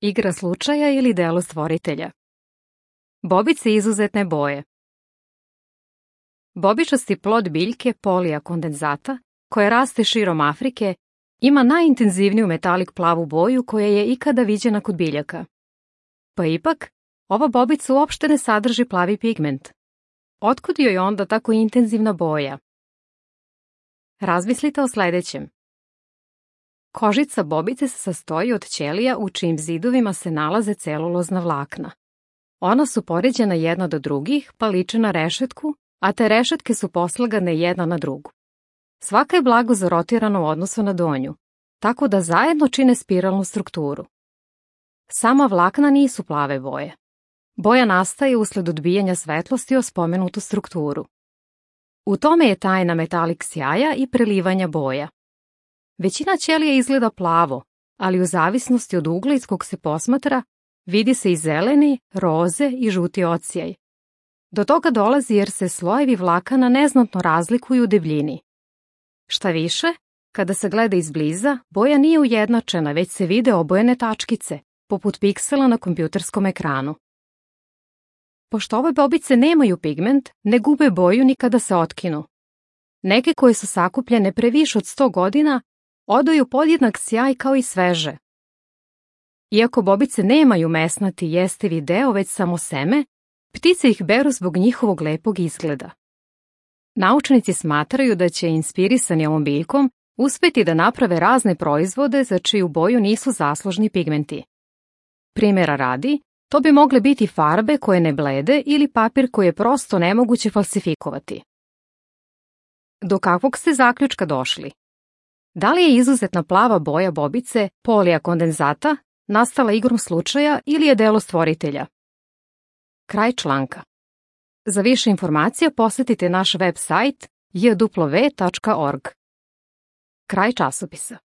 Igra slučaja ili delo stvoritelja. Bobice izuzetne boje. Bobičasti plod biljke Polija condensata, koja raste širom Afrike, ima najintenzivniju metalik plavu boju koja je ikada viđena kod biljaka. Pa ipak, ova bobica uopšte ne sadrži plavi pigment. Otkud joj onda tako intenzivna boja? Razmislite o sledećem. Kožica bobice se sastoji od ćelija u čijim zidovima se nalaze celulozna vlakna. Ona su poređena jedna do drugih, pa liče na rešetku, a te rešetke su poslagane jedna na drugu. Svaka je blago zarotirana u odnosu na donju, tako da zajedno čine spiralnu strukturu. Sama vlakna nisu plave boje. Boja nastaje usled odbijanja svetlosti o spomenutu strukturu. U tome je tajna metalik sjaja i prelivanja boja. Većina ćelija izgleda plavo, ali u zavisnosti od ugla iz kog se posmatra, vidi se i zeleni, roze i žuti odsjaj. Do toga dolazi jer se slojevi vlakana neznatno razlikuju u debljini. Šta više, kada se gleda izbliza, boja nije ujednačena, već se vide obojene tačkice, poput piksela na kompjuterskom ekranu. Pošto ove bobice nemaju pigment, ne gube boju ni kada se otkinu. Neke koje su sakupljene pre više od 100 godina odaju podjednak sjaj kao i sveže. Iako bobice nemaju mesnati jestivi deo, već samo seme, ptice ih beru zbog njihovog lepog izgleda. Naučnici smatraju da će, inspirisani ovom biljkom, uspeti da naprave razne proizvode za čiju boju nisu zaslužni pigmenti. Primjera radi, to bi mogle biti farbe koje ne blede ili papir koji je prosto nemoguće falsifikovati. Do kakvog ste zaključka došli? Da li je izuzetna plava boja bobice Polija condensata nastala igrom slučaja ili je delo stvoritelja? Kraj članka. Za više informacija posetite naš web sajt jw.org. Kraj časopisa.